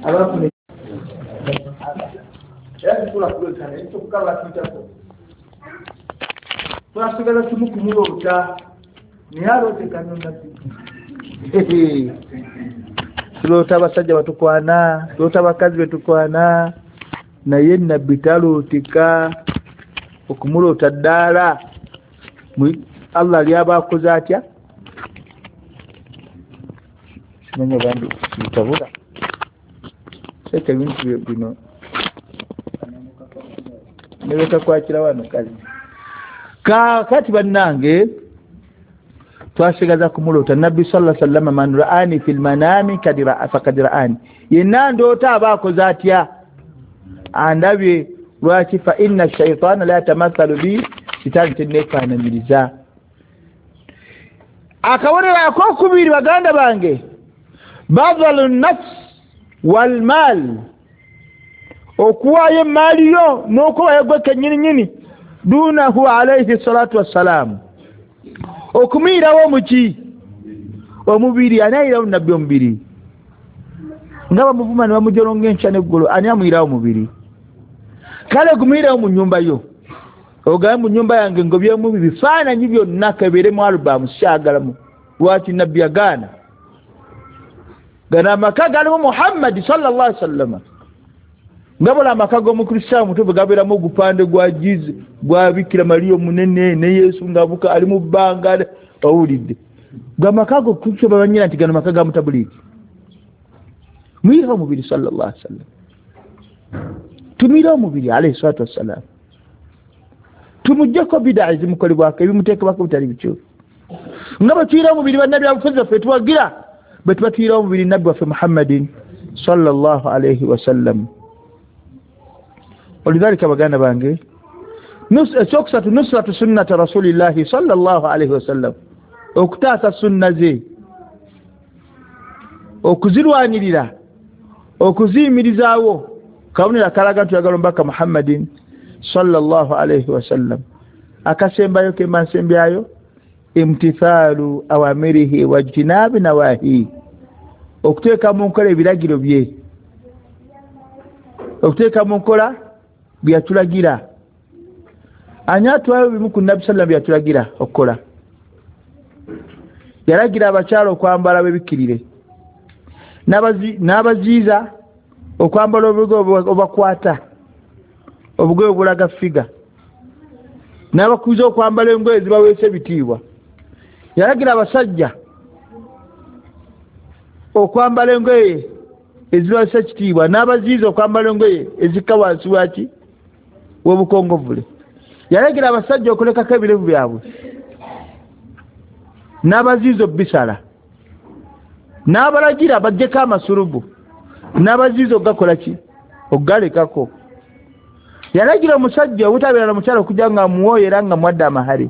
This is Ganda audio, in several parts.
Abafune era tusobola kulwekana ekyokukalwa tuyitako twasigala kimu kumuloota naye alootekano nabbi. Tuloota abasajja batukwana, tuloota abakazi betukwana, naye nabbi talootika. Okumuloota ddaala Allah lyaba akoze atya simanya bandi bitabula seka ebintu bino nebekakwakira wano kazi. Kaakati bannange twasigaza kumuloota nabbi sallallahu alaihi wasallam, man ra'ani fil manami faqad ra'ani, yenna ndoota aba akoze atya andabye. Lwaki? Fa inna shaitana la yatamathalu bi, sitaani tenneefaananyiriza. Akabonero akokubiri baganda bange, badhalu nafs wal mal, okuwaayo emaali yo n'okuwaayo gwe kennyini nyini, dunahu alayhi salatu wassalaamu, okumuyirawo muki omubiri. Ani ayirawo nabbi omubiri? Nga bamuvuma ne bamujolonga enkya n'eggulo, ani amuyirawo omubiri? Kale gumuyirawo mu nnyumba yo, ogambe mu nnyumba yange ngobyemu bifaananyi byonna kebeeremu alubamu syagalamu. Lwaki nabbi yagaana? Gano amaka galimu Muhammadi sallallahu alaihi wasallam. Nga buli amaka g'omukristaayo mutuufu gabeeramu ogupande gwa jizi gwa Bikira Mariya omunene ne Yesu ng'abuka ali mu bbanga, owulidde gamaka ago kukyo babanyira nti gano maka ga mutabuliiki. Muyirawo omubiri sallallahu alaihi wasallam, tumuyirawo omubiri alayhi salatu wassalam, tumuggyeko bidaa ezimukolebwako ebimuteekebwako bitali bityo. Nga bwe tuyirawo omubiri bannabbi abufuzi baffe tuwagira, bwe tuba tuyirawo omubiri nabbi waffe Muhammadin sallallahu alaihi wasallam. Olidhalika baganda bange, ekyokusatu nusratu sunnata rasulillahi sallallahu alaihi wasallam, okutaasa sunna ze, okuzirwanirira, okuziyimirizaawo. Kabonero akalaga nti oyagala omubaka Muhammadin sallallahu alaihi wasallam. Akasembayo kemba nsembyayo, imtithaalu awamirihi wajtinabi nawahi, okuteeka mu nkola ebiragiro bye, okuteeka mu nkola byatulagira. Ani atwayo bimu ku nabbi sallam byatulagira okukola? Yalagira abakyala okwambala bebikkirire, n'abaziiza okwambala obugoye obubakwata, obugoye obulaga figa, n'abakuza okwambala engoye ezibaweesa ebitiibwa. Yalagira abasajja okwambala engoye ezibaweesa ekitiibwa, n'abaziiza okwambala engoye ezikka wansi waki w'obukongovule. Yalagira abasajja okulekako ebirevu byabwe, n'abaziiza obbisala, n'abalagira baggyeko amasulubu, n'abaziiza okugakola ki okugalekako. Yalagira omusajja obutabeera na mukyala okujja nga amuwooyo era nga muwadde amahale,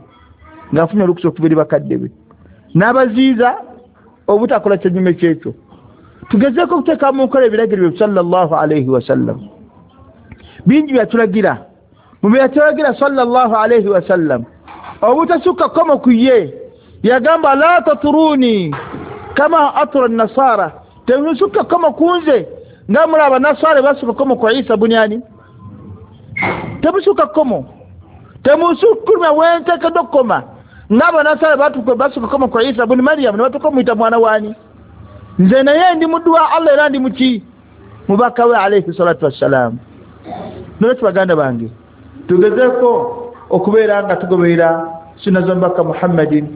ng'afunye olukusa okuva eri bakadde be, n'abaziiza obutakola kyennyume kyekyo. Tugezeeko okuteeka mu nkola ebiragiro bye sallallahu alaihi wasallam. Bingi byatulagira, mu bye yatulagira sallallahu alaihi wasallam, obutasukka kkomo ku ye. Yagamba la taturuni kama atura nasara, temusukka kkomo ku nze nga muli abanasara basukka kkomo ku Isa bunyani. Temusukka kkomo, temusukkuluma wenteekeddwa okukoma ng'abanasara basukka kkomo ku Isa buni Mariyamu ne batuuka omuyita mwana waani. Nze naye ndi muddu wa Allah era ndi muki mubaka we alayhi salatu wassalam. Nolwekyo baganda bange, tugezeeko okubeera nga tugoberera sunna z'omubaka Muhammadin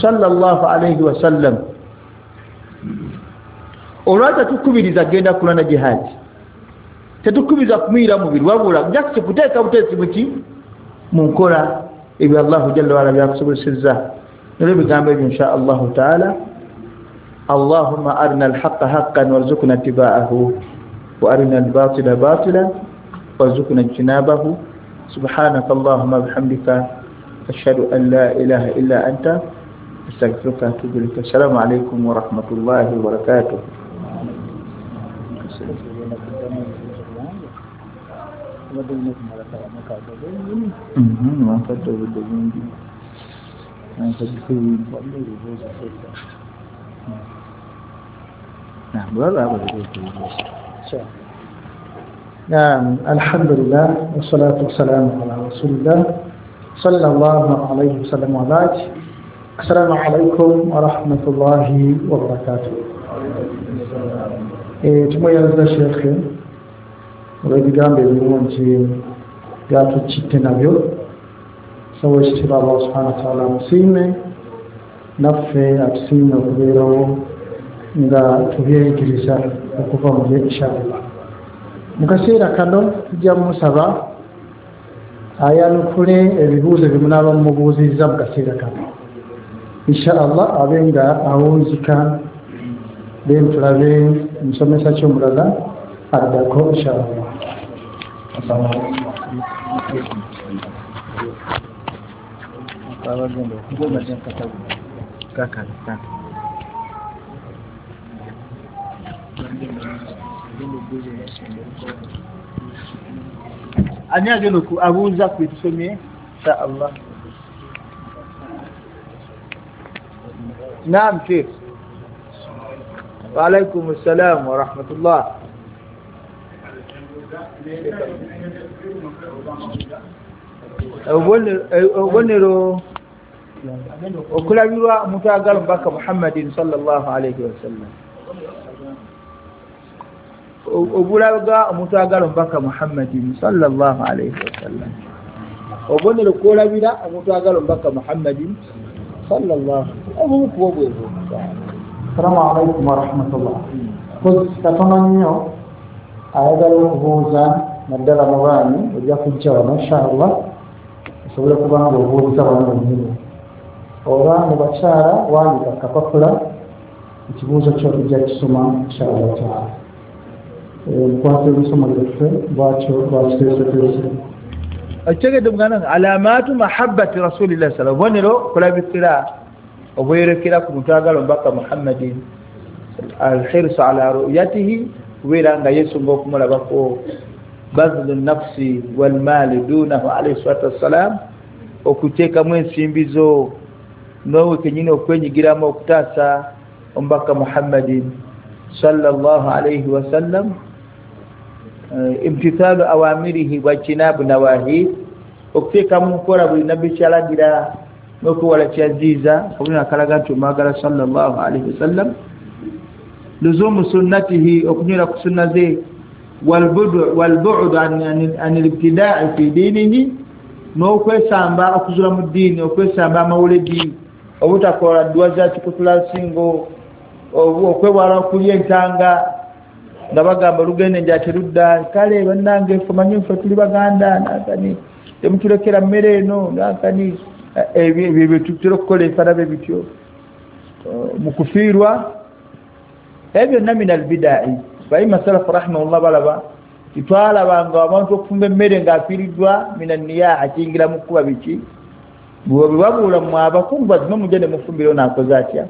sallallahu alaihi wasallam. Olwaki tetukubiriza genda kulwana jihaadi, tetukubiriza kumuyira mubiri, wabula jakisi kuteeka buteesi muki mu nkola ebyo Allahu jalla waala byakusobozesezza. Nolw'ebigambo ebyo insha Allahu taala, Allahumma arina alhaqa haqqan warzuqna ittiba'ahu wa arina albatila batilan warzuqna ijtinabahu. Subhanaka Allahumma bihamdika ashhadu an la ilaha illa anta astaghfiruka wa atubu ilaik. Assalamu alaykum wa rahmatullahi wa barakatuh. Naam, alhamdulillah wassalatu wassalamu ala rasulillah sallallahu alayhi wasallam wa ba'd. Assalamu alaikum wa rahmatullahi wa barakatuh. Tumweyanza Sheikh olw'ebigambo ebirungi byatukitte nabyo. So ekitiibwa Allah subhanahu wa ta'ala amusiime, naffe atusiime okubeerawo nga tubyeyigiriza okuva mu bye inshallah. Mu kaseera kano tujja musaba ayanukule ebibuuzo bye munaaba mumubuuzizza mu kaseera kano inshallah, abe nga awunzika, then tulabe musomesa ki omulala addako inshallah. Ani agenda abuuza ku tusomye inshallah. Naam Sheikh. Wa alaykum assalam wa rahmatullah. Obubonero okulabirwa omuntu ayagala omubaka Muhammadin sallallahu alayhi wasallam, obulaga omuntu ayagala omubaka Muhammadin sallallahu alayhi wasallam, obubonero kwolabira omuntu ayagala omubaka Muhammadin sallallahu obukuba bwebwo. Assalamu alaikum wa rahmatullah. Katono nnyo ayagala okubuuza naddala mu baami ojja kujja wano inshallah osobole kuba nga obuuza wano wennyini, oba mu bakyala wandika kapapula ekibuuzo kyo tujja kisoma inshallah taala. Mukwate emisomo gyaffe bwatyo bwakiteeseteese. Ekitegedde muganda alamaatu mahabbati rasulillah sallallahu obubonero kulabikira obwerekera ku muntu ayagala omubaka Muhammadin, alhirsu ala ru'yatihi, kubeera nga yeesunga okumulabako, bazlu nafsi walmaali dunahu alayhi salatu wassalam, okuteekamu ensimbi zo noowe kenyini okwenyigiramu okutaasa omubaka Muhammadin sallallahu alayhi wasallam, imtithalu awamirihi wajtinabu nawahi, okuteekamu nkola buli nabbi kyalagira n'okwewala kyaziiza, kabonero akalaga nti omwagala sallallahu alayhi wasallam, luzumu sunnatihi, okunywera ku sunna ze, walbu'du an al-ibtida'i fi dinihi, n'okwesamba okuzula mu ddiini, okwesamba amawuledi, obutakola dduwa za kikutula nsingo, okwewala okulya entanga nga bagamba olugenda enjala terudda, kale bannange ffe manyi ffe tuli Baganda nankani temutulekera mmere eno nankani, ebyo bye tutera okukola ebifaanana bityo mu kufiirwa, ebyo byonna min albidai. Baima salafu rahimahullah balaba titwalabanga abantu okufumba emmere ng'afiiriddwa min anniyaha, kiyingira mu kkuba biki bwe babuula mmwe abakungu bazime mujje ne mufumbira ono akoze atya,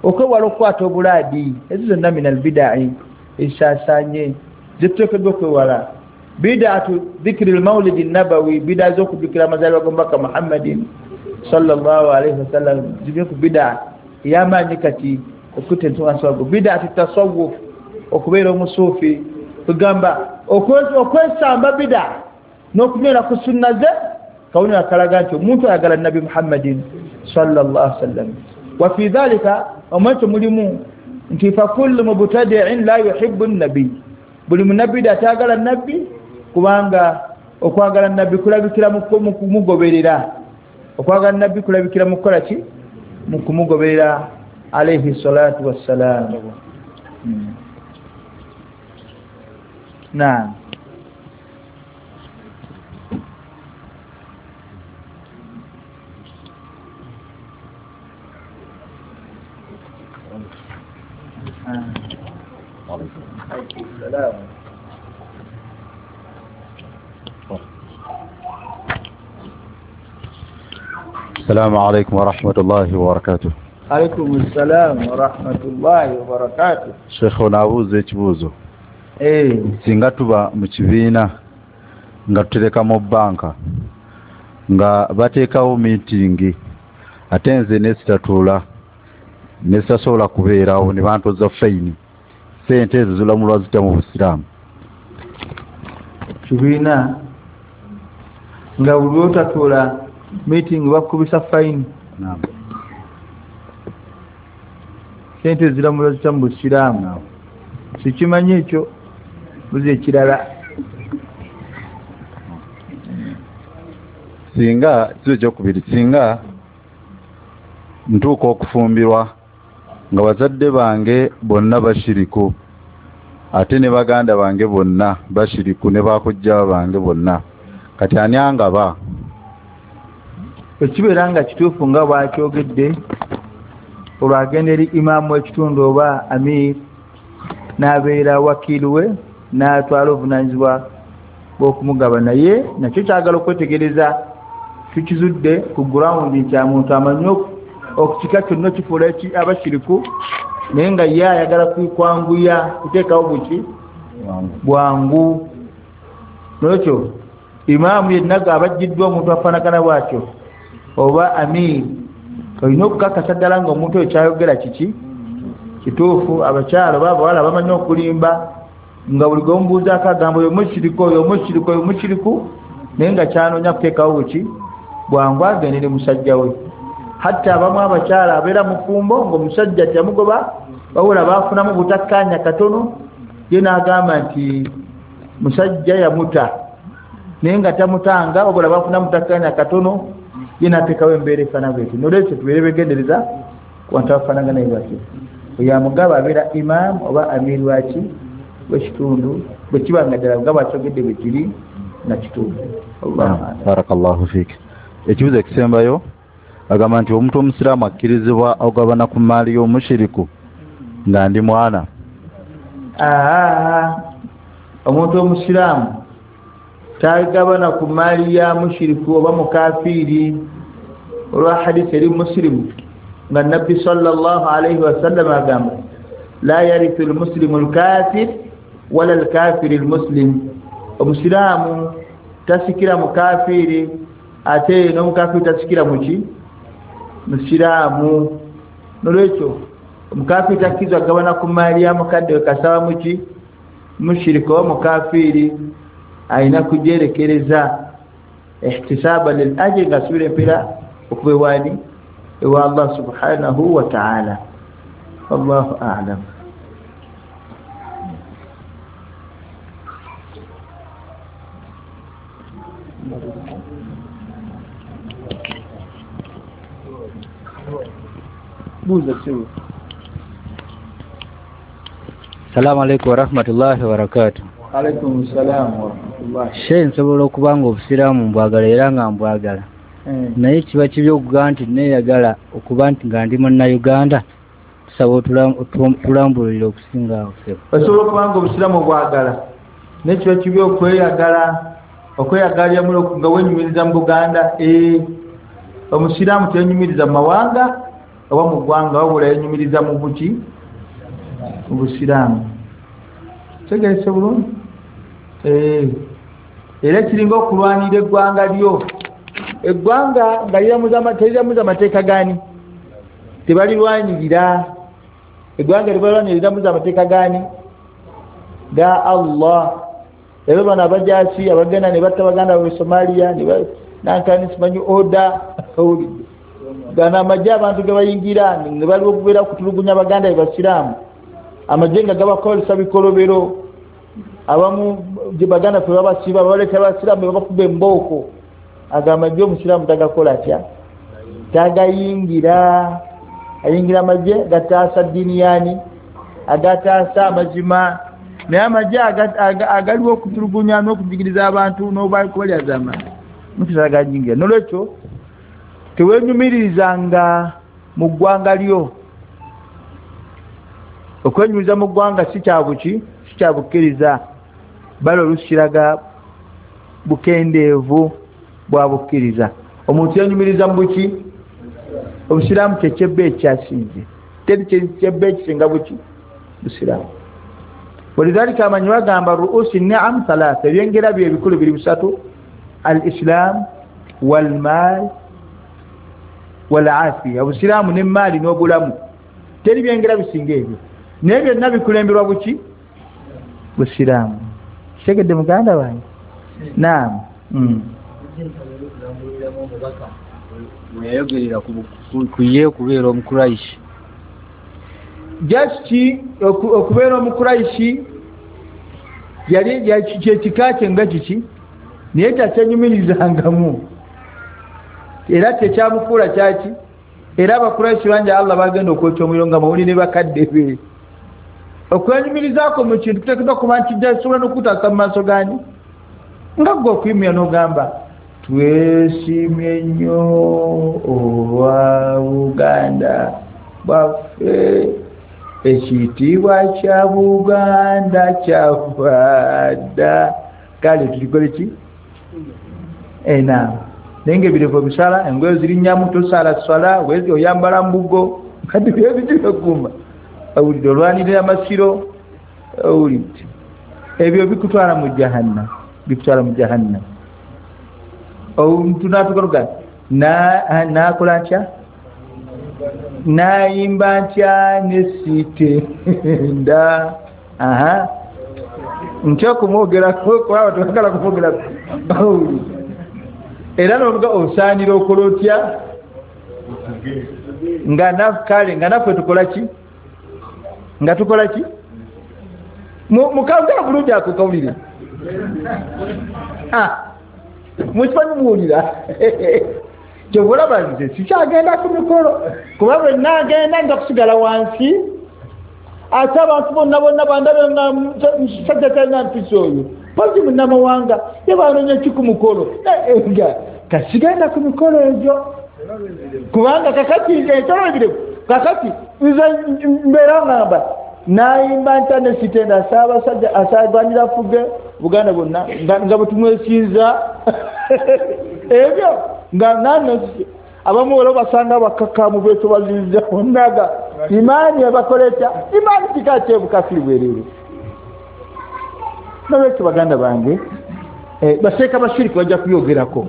okwewala okukwata obulaadi, ezo zonna min albidai ezisaasaanye zetuteekeddwa okwewala. Bid'atu dhikri lmaulidi nabawi, bida z'okujjukira amazaalibwa g'omubaka Muhammadin sallallahu alaihi wasallam, zibye ku bida ey'amaanyi kati okutta ensonga nswago. Bid'atu tasawuf, okubeera omusuufi, kugamba okwesamba bida n'okunywera ku sunna ze, kabonero akalaga nti omuntu ayagala nabbi Muhammadin sallallahu alaihi wasallam. Wa fi dhalika, omwekyo mulimu nti fa kullu mubtadi'in la yuhibbu nabi, buli munabbida atayagala nabbi, kubanga okwagala nabbi kulabikira mu kumugoberera, okwagala nabbi kulabikira mu kukola ki? Mu kumugoberera alayhi salatu wassalam. Naam. السلام عليكم ورحمة الله وبركاته. عليكم السلام ورحمة الله وبركاته. Sheikh onaabuuza ekibuuzo. Singa tuba mu kibiina nga tutereka mu bbanka nga bateekawo miitingi ate nze nesitatuula nesitasobola kubeerawo ne bantoza fayini, Sente ezo zilamulwa zitya mu Busiraamu? Kibiina nga buli lwotatuula meeting bakubisa fine. Naam. Sente ziramulwa zitya mu Busiraamu? Sikimanyi ekyo, buzi ekirala. Singa kizo ekyokubiri, singa ntuuka okufumbirwa nga bazadde bange bonna bashiriku, ate ne baganda bange bonna bashiriku, ne bakojja bange bonna, kati ani angaba? Ekibeera nga kituufu nga bwakyogedde, olwo agenda eri imaamu w'ekitundu oba amir, n'abeera wakiili we, n'atwala obuvunaanyizibwa bw'okumugaba. Naye nakyo kyagala okwetegereza, tukizudde ku ground nti omuntu amanyi okukika kyonna kifuula abashiriku, naye nga ye ayagala kwanguya kuteekawo buki bwangu. Nolwekyo imaamu yenna abajjiddwa omuntu afaanagana bw'atyo oba amir, olina okukakasa ddala nga omuntu oyo kyayogera kiki kituufu. Abakyala oba abawala bamanyi okulimba, nga buli gwemubuuzaako agamba oyo mushiriku, oyo mushiriku, oyo mushiriku, naye nga kyanoonya kuteekawo buki bwangu agende ne musajja we. Hatta abamu abakyala abeera mufumbo ng'omusajja teyamugoba, wabula baafunamu butakkaanya katono, ye n'agamba nti musajja yamuta, naye nga tamutanga, wabula baafunamu butakkaanya katono, ye n'ateekawo embeera efaanana bwetyo. Nolwekyo tubeere begendereza ku bantu abafaanagana bwe batyo. Oyo amugaba abeera imaamu oba amiri waki w'ekitundu, bwe kiba nga ddala nga bw'akyogedde bwe kiri nga kituufu. Barakallahu fiik. Ekibuuzo ekisembayo agamba nti omuntu omusiraamu akkirizibwa okugabana ku mmaali y'omushiriku nga ndi mwana? Omuntu omusiraamu tagabana ku mmaali ya mushiriku oba mukafiiri, olwa hadisi eri musilimu nga Nabbi sallallahu alaihi wasallam agamba la yarithu lmuslimu lkafir wala lkafiri lmuslim. Omusiraamu tasikira mukafiiri, ate n'omukafiiri tasikira muki musiraamu. Nolwekyo omukafiiri takkirizibwa kugabana ku mmaali ya mukadde we kasaba muki mushirika oba mukafiiri, alina kugyerekereza ihtisaba lil ajri, nga asubira empeera okuva ewaani ewa Allah subhanahu wa ta'ala. Wallahu a'lam. Buuza ssebo. Salamu alaikum warahmatullahi wabarakatuh. Alaikum salam warahmatullahi. Shehe, nsobola okuba nga obusiraamu mbwagala era nga mbwagala, naye kiba kibi okugamba nti neeyagala okuba nti nga ndi munnayuganda. Tusaba otulambululire okusinga awo ssebo. Osobola okuba nga obusiraamu obwagala, naye kiba kibi okweyagala okweyagalira nga wenyumiriza mu Buganda. Omusiraamu teyenyumiriza mu mawanga oba mu ggwanga, wabula yenyumiriza mu buki mu busiraamu. Tegerese bulungi. Era kiringa okulwanira eggwanga lyo. Eggwanga nga teriramuza amateeka gaani? Tebalirwanirira. Eggwanga libalwanirira liramuza amateeka gaani? Ga Allah. Era bano abajaasi abagenda ne batta baganda baabwe Somalia, nankani simanyi oda, gano amagye abantu ge bayingira ne baliwo okubeera okutulugunya baganda be basiraamu, amagye nga gabakozesa bikolobero, abamu baganda ffe babasiba, babaleeta abasiraamu ne babakuba embooko. Ago amagye omusiraamu tagakola atya? Tagayingira. Ayingira amagye gataasa ddiini yaani, agataasa amazima. Naye amagye agaliwo okutulugunya n'okujigiriza abantu n'okubalyaza amaanyi, mutagayingira. Nolwekyo tewenyumiririzanga mu ggwanga lyo. Okwenyumiriza mu ggwanga si kyabuki, si kyabukkiriza, bali oluusi kiraga bukendeevu bwa bukkiriza. Omuntu yenyumiriza mu buki? Obusiraamu kyekyebbe ekyasinze, teri kyebbe ekisinga buki busiraamu. Walidhalika amanyi bagamba ruusi ni'am thalatha, ebyengera bye ebikulu biri bisatu: al-islam wal-mal wal-afiya. Obusiraamu n'emmaali n'obulamu, teri byengera bisinga ebyo. Naye byonna bikulemberwa buki? Busiraamu. Kitegedde muganda wange? Naam. Yayogerera ku ye okubeera Omukuraishi. Just okubeera Omukuraishi yali kyekika kye nga kiki, naye takyenyumirizangamu era tekyamufuula kyaki. Era Abakuraishi bangi Allah bagenda okwokya omuliro nga mawulire bakadde be. Okwenyumirizaako mu kintu kuteekeddwa kuba nti kisobola n'okutaasa mu maaso gaani, nga ggwe okuyimira n'ogamba twesiimye nnyo olwa Buganda bwaffe, ekitiibwa kya Buganda kyava dda. Kale tulikole ki? Naam. Naye ng'ebirevu obisala, engoye zirinnyamu, tosaala swala, wezi oyambala mbugo, kati byebitibekuuma. Owulidde olwanirira amasiro, owulidde ebyo bikutwala mu jahannam, bikutwala mu jahannam. Omuntu n'atukaluga n'akola ntya, n'ayimba ntya nesitenda. Aha, ntya okumwogerako kuba tebagala kumwogerako. Era n'ovuga osaanira okola otya nga kale nga naffe tukola ki? Nga tukola ki? Mukawulira bulungi ako kawulire. Mukimanyi muwulira. Kyova olaba nze sikyagenda ku mikolo, kuba bwe naagenda nja kusigala wansi, ate abantu bonna bonna bandabe nga musajja talina mpisa oyo, pozi munnamawanga ye banoonya ki ku mukolo? Nga kasigenda ku mikolo egyo, kubanga kakati ekyolabire kakati nze mbeera ngamba nayimba nta nesitenda Ssaabasajja asaagwanira afuge Buganda bwonna nga bwe tumwesinza ebyo nga nano abamu olwo basanga bakakamu beetobaziriza bonnaga imaani ebakola etya? Imaani kika kyebukafiri bwerere. Nolwekyo baganda bange, baseeka bashiriki bajja kuyogerako.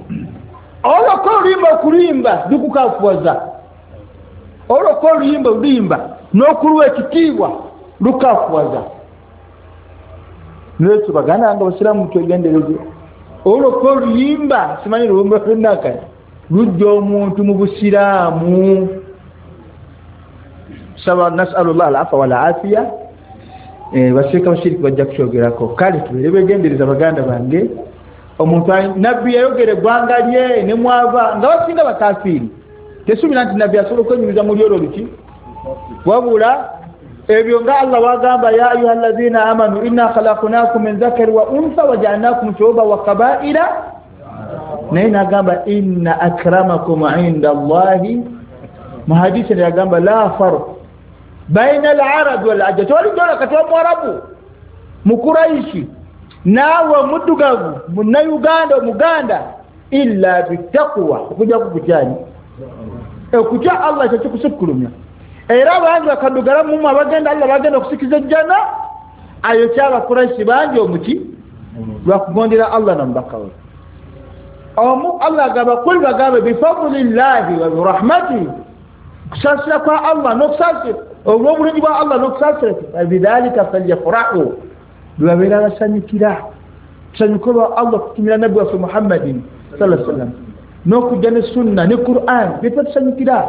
Olwokka oluyimba okulimba lukukafuwaza, olwokka oluyimba oluyimba n'okuluwa ekitiibwa lukafuwaza. Nolwekyo baganda bange abasiraamu twegendereze. Olwokka oluyimba simanyi luyimba lwennakati lujja omuntu mu busiraamu. Saba nasalullah alafa walafiya. Baseeka bashiriki bajja kukyogerako. Kale tubeere begendereza baganda bange. Omuntu nabbi yayogera eggwanga lye ne mwava nga basinga bakafiiri. Tesuubira nti nabbi asobola okwenyumiza mu lyolwo luki, wabula ebyo nga Allah wagamba ya ayuha alladhina amanu inna khalaqnakum min dhakari wa untha waja'alnakum shu'uban wa qaba'ila, naye nagamba inna akramakum inda Allahi. Mu hadisi yagamba la farq baina al-arab wal ajam. Tewali dola kati wa Mwarabu Mukuraishi naawe muddugavu Munnayuganda Omuganda illa bittaqwa, okujja kukutyani okutya Allah kyo kikusukulumya. Era bangi bakaddugala mumu abagenda Allah bagenda okusikiza ejjana ayo ky'Abakuraishi bangi omuki lwakugondera Allah n'omubaka we. Omu Allah agamba kul bagambe bifadlillahi wa birahmatihi, kusaasira kwa Allah n'okusaasira olw'obulungi bwa Allah n'okusaasira, bidhalika falyafrahu, lwebabeera basanyukira tusanyuke olwa Allah okutumira nabbi waffe Muhammadin sallallahu alaihi wasallam n'okujja ne sunna ne Qur'an bye tusanyukira.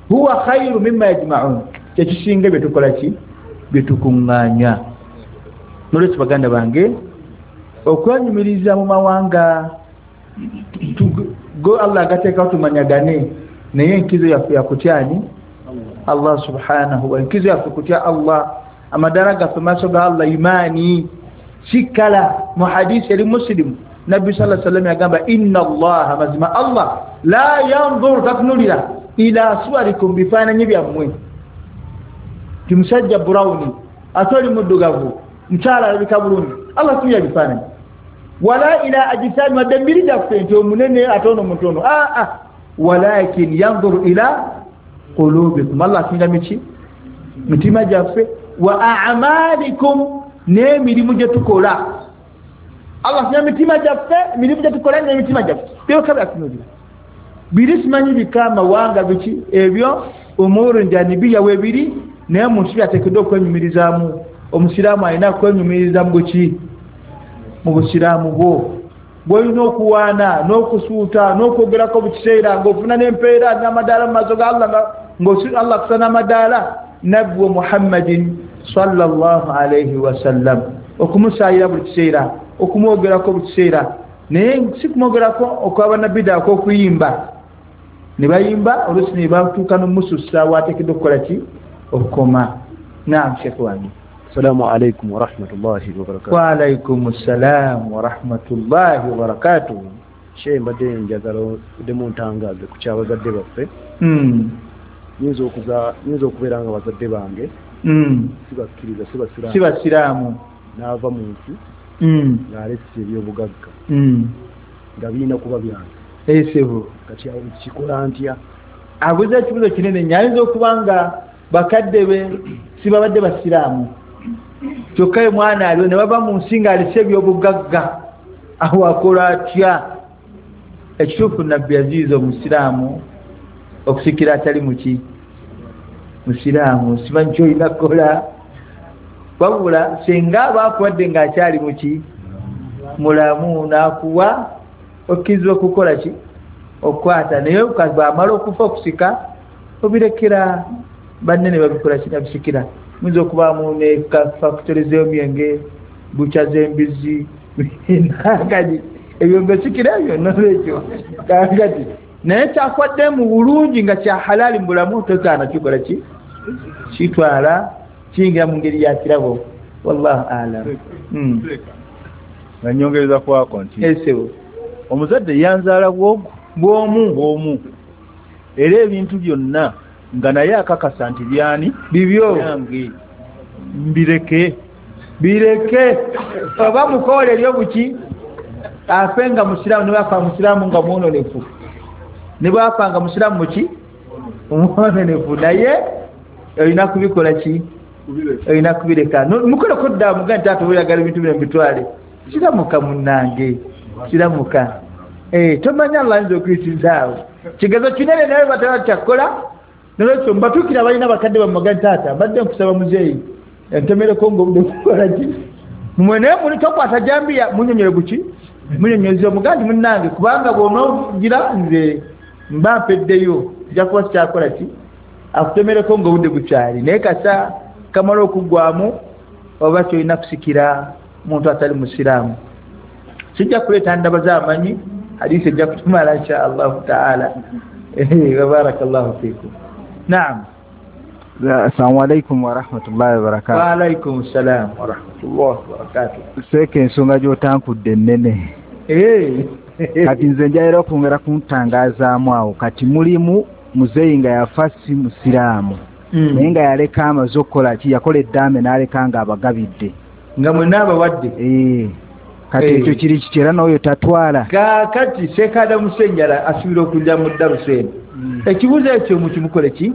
Huwa khairu mimma yajma'un, kyekisinga bye tukola ki bye tukuŋŋaanya. Nolwekyo baganda bange, okwenyumiriza mu mawanga go Allah agateekawo tumanyagane, naye enkizo yaffe yakutyani Allah subhanahu wa, enkizo yaffe kutya Allah, amadara gaffe maaso ga Allah imaani sikala. Mu hadisi eri Muslimu nabbi sallallahu alaihi wasallam yagamba inna Allah, mazima Allah la yanzuru, tatunulira ila suwarikum, bifaananyi byammwe. Ti musajja brown ate oli muddugavu, mukyala alabika bulungi, Allah tuya bifaananyi. Wala ila ajisami, wadde emibiri gyaffe nti omunene ate ono mutono, walakin yanzuru ila qulubikum, Allah atunulira miki mitima gyaffe, wa a'malikum, n'emirimu gye tukola. Allah atunulira mitima gyaffe, emirimu gye tukola n'emitima gyaffe byokka byatunulira. Biri simanyi bika amawanga biki ebyo umuru njanibiya webiri, Naye muntu byateekeddwa okwenyumirizaamu. Omusiraamu alina kwenyumiriza mu ki? Mu busiraamu bwo. Bw'olina okuwaana n'okusuuta n'okwogerako mu kiseera ng'ofuna n'empeera n'amadaala mu maaso ga Allah, nga Allah akusa n'amadaala. Nabbi Muhammadin sallallahu alaihi wasallam, okumusaayira buli kiseera, okumwogerako buli kiseera. Naye si kumwogerako okw'abannabida akw'okuyimba, ne bayimba oluusi ne batuuka n'omusussa waateekeddwa okukola ki? Okukoma. Naam, Sheikh wange. Assalamu alaikum warahmatullahi wabarakatuh. Wa alaikum assalam warahmatullahi wabarakatuh. Sheikh, mbadde njagala oddemu ntangaaze ku kyabazadde baffe. Nyinza okubeera nga bazadde bange sibakkiriza, si basiraamu, n'ava mu nsi ng'alese ebyobugagga nga birina kuba byange. Esebo kati awo kikola ntya? Abuuza ekibuuzo kinene nnyo. Ayinza okuba nga bakadde be sibabadde basiraamu, kyokka ye mwana aliwo ne bava mu nsi ng'alese ebyobugagga, awo akola atya? Ekituufu Nabbi yaziyiza omusiraamu okusikira atali muki? Musiraamu. Simanyi kyolina kukola, wabula singa baakuwadde ng'akyali muki? Mulamu, n'akuwa okkirizibwa okukola ki? Okukwata. Naye bw'amala okufa okusika obirekera banne ne babikola ki? Nabisikira. Muyinza okubaamu ne fakitole z'emyenge, bukya z'embizzi, nakati ebyo ngasikira ebyo nolwekyo kakati. Naye kyakwadde mu bulungi nga kya halaali mu bulamu, totaana kikola ki? Kitwala kiyingira mu ngeri ya kirabo. Wallahu a'lam. Nga nnyongereza kwako nti esebo omuzadde yanzaala bwogu bw'omu, era ebintu byonna nga naye akakasa nti byani? Bibyo. Byange. Mbireke. Bireke. Oba mukoole eryobuki afe nga musiraamu, ne bwafa musiraamu nga mwononefu, ne bwafa nga musiraamu muki? Omwononefu. Naye olina kubikola ki? Olina kubireka. Mukoleko dda mugambe nti taata oyagala ebintu bino mbitwale. Kiramuka munnange, kiramuka. Tomanya Allah ayinza okuyisizaawo kigezo kinene, naye bataba kyakukola. Nolwekyo mbatuukira abalina bakadde bamugambe nti taata mbadde nkusaba muzeeyi entemereko ng'obudde kukola ki? Mmwe naye muli tokwata jambiya, munyonyole buki? Munyonyoze omugambe munnange, kubanga bw'onoogira nze mba mpeddeyo, nja kuba sikyakola ki? Akutemereko ng'obudde bukyali. Naye kasa kamala okuggwamu oba kyolina kusikira muntu atali musiraamu. Sijja kuleeta ndaba z'amanyi, hadiisi ejja kutumala insha Allahu taala. Barakallahu fiikum. Naam. Assalamu alaikum warahmatullahi wabarakatuh. Wa alaikum salam warahmatullahi wabarakatuh. Seeka ensonga gy'otankudde ennene. Kati nze njagala okwongera kuntangazaamu awo. Kati mulimu muzeeyi nga yafa si musiraamu, naye nga yaleka amaze okukola ki? Yakola eddaame n'aleka nga abagabidde, nga mwenna abawadde. Kati ekyo kiri kiki? Era n'oyo tatwala. Kaakati Seekaada Musenjala asuubira okujja mu ddarusu eno. Ekibuuzo ekyo mukimukole ki?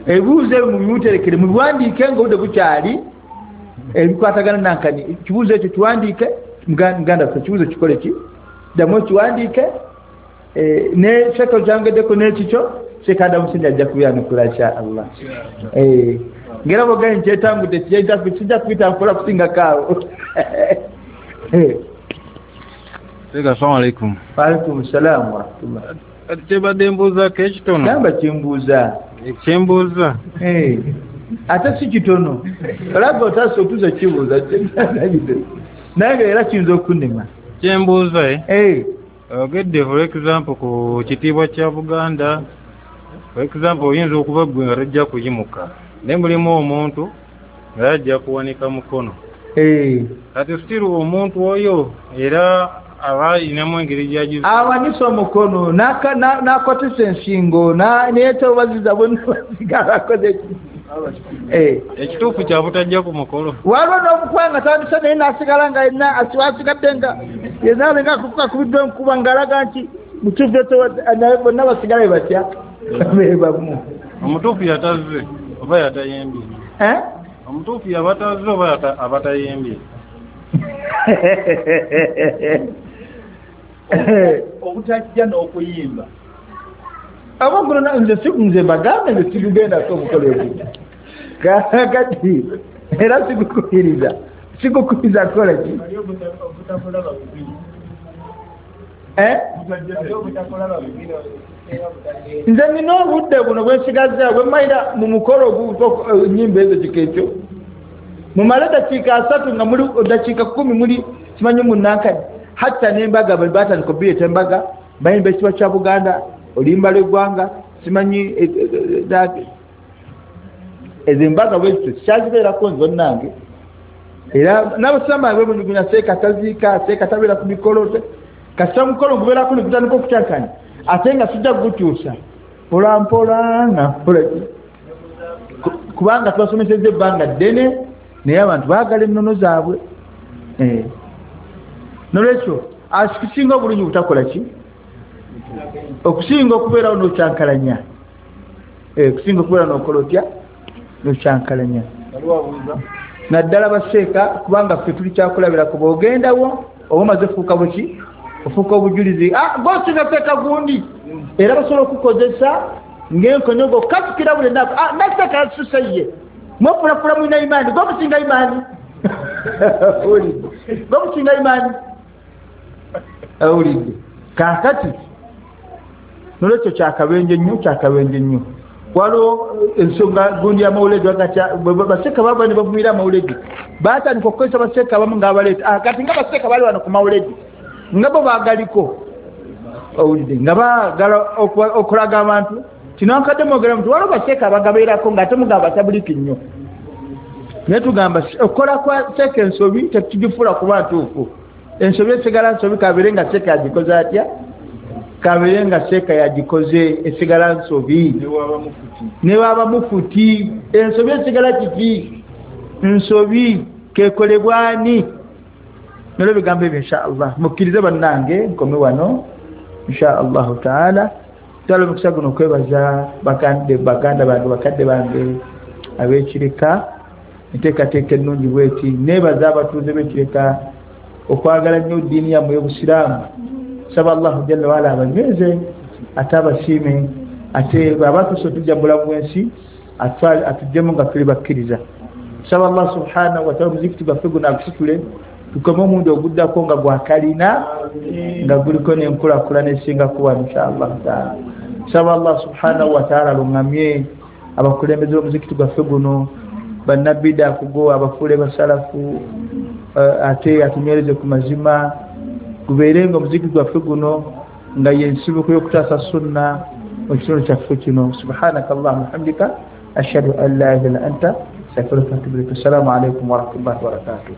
Ebibuuzo ebyo mubimuterekere, mubiwandiike ng'obudde bukyali, ebikwatagana nankani. Ekibuuzo ekyo kiwandiike, muganda waffe, ekibuuzo kikole ki? Ddamu okiwandiike, ne Sheikh okyangeddeko n'ekikyo, Seekaada Musenjala ajja kubyanukula insha Allah. Ngera bw'ogambye nti kyetangudde, kijja kubitankula kusingako awo. Assalamu alaikum. Wa alaikum salam warahmatullah. Kyebadde mbuuzaako ekitono. Gamba kyembuuza. Kyembuuza. Ate si kitono. Olaba otasa otuza kibuuza. Naye nga era kiyinza okunnema. Kyembuuza Ogedde for example ku kitiibwa kya Buganda. For example oyinza okuba ggwe nga tojja kuyimuka, naye mulimu omuntu nga yajja kuwanika mukono. Kati still omuntu oyo era aba ayinamu engeri gy'agiza. Awanise omukono n'akotesa ensingo neyeetobaziza bonna basigala akoze Ekituufu kya butajja ku mukolo. Waliwo n'omukuba nga tandise naye n'asigala nga yenna asigadde nga yenna alinga akubiddwa enkuba ng'alaga nti mutuufu naye bonna basigala be batya be bamu. Omutuufu yatazze oba yatayimbye? Omutuufu yabatazze oba abatayimbye? Obutajja n'okuyimba. Aba guno nze nze mbagambe nze sigugendako omukolo ogwo. Kakati era sikukubiriza kukola ki? Nze nina obudde buno bwensigazza bwe mmalira mu mukolo ennyimba ezo kika ekyo mumale dakiika 3 nga muli dakiika 10 muli simanyi munankani hatta n'embaga batandika obireeta embaga bayimba ekitiibwa kya Buganda oluyimba lw'eggwanga simanyi ezo embaga bwezityo sikyazibeerako nze onnange. Era n'abasiraamu bange bemunyugunya seeka taziika seeka tabeera ku mikolo kasita mukolo gubeerako ne gutandika okukyankanya ate nga sijja kugukyusa mpola mpola nga mpola kubanga tubasomesezza ebbanga ddene naye abantu baagala ennono zaabwe. Nolwekyo akisinga obulungi butakola ki okusinga okubeerawo n'okyankalanya, okusinga okubeerawo n'okola otya n'okyankalanya naddala baseeka kubanga ffe tuli kyakulabirako bw'ogendawo oba omaze ofuuka buki ofuuka obujulizi gosinga seeka gundi era basobola okukozesa ng'enkonyogo katukira buli nnaku naseeka yasusa ye mwefulafula mulina imaani gomusinga imaani owulidde gomusinga imaani owulidde. Kaakati nolwekyo kyakabenje nnyo kyakabenje nnyo. Waliwo ensonga gundi y'amawuledi baseeka bava ne bavumira amawuledi batandika okukozesa baseeka abamu ng'abaleeta kati nga baseeka bali wano ku mawuledi nga bo baagaliko owulidde nga baagala okulaga abantu kinankadde mwogera muti waliwo baseeka abagabeerako ng'ate mugamba batabuliki nnyo naye tugamba okukola kwa seeka ensobi tetugifuula kuba ntuufu. Ensobi esigala nsobi kabeere nga seeka yagikoze atya kabeere nga seeka yagikoze esigala nsobi ne waba mufuti ensobi esigala kiki nsobi kekolebwani. Nolwo ebigambo ebyo insha Allah mukkirize bannange nkome wano insha Allahu taala. Twala omukisa guno okwebaza baganda bange bakadde bange ab'ekireka enteekateeka ennungi bweti. Neebaza abatuuze b'ekireka okwagala nnyo ddiini yammwe y'obusiraamu. Saba Allahu jalla waala abanyweze ate abasiime ate bw'aba tujja mu bulamu bw'ensi atuggyemu nga tuli bakkiriza. Saba Allah subhanahu wa taala omuzikiti gwaffe guno agusitule tukome omundi oguddako nga gwakalina nga guliko n'enkulaakulana esinga kuba insha Allahu taala. Saba Allah subhanahu wa taala aluŋŋamye abakulembeze b'omuzikiti gwaffe guno bannabida kugo abafuule basalafu ate atunywereze ku mazima gubeere nga omuzikiti gwaffe guno nga yensibuko y'okutaasa sunna mu kitundu kyaffe kino. Subhanaka Allahumma hamdika ashhadu an la ilaha illa anta astaghfiruka wa atubu ilaik. Assalamu alaikum warahmatullahi wabarakatuh.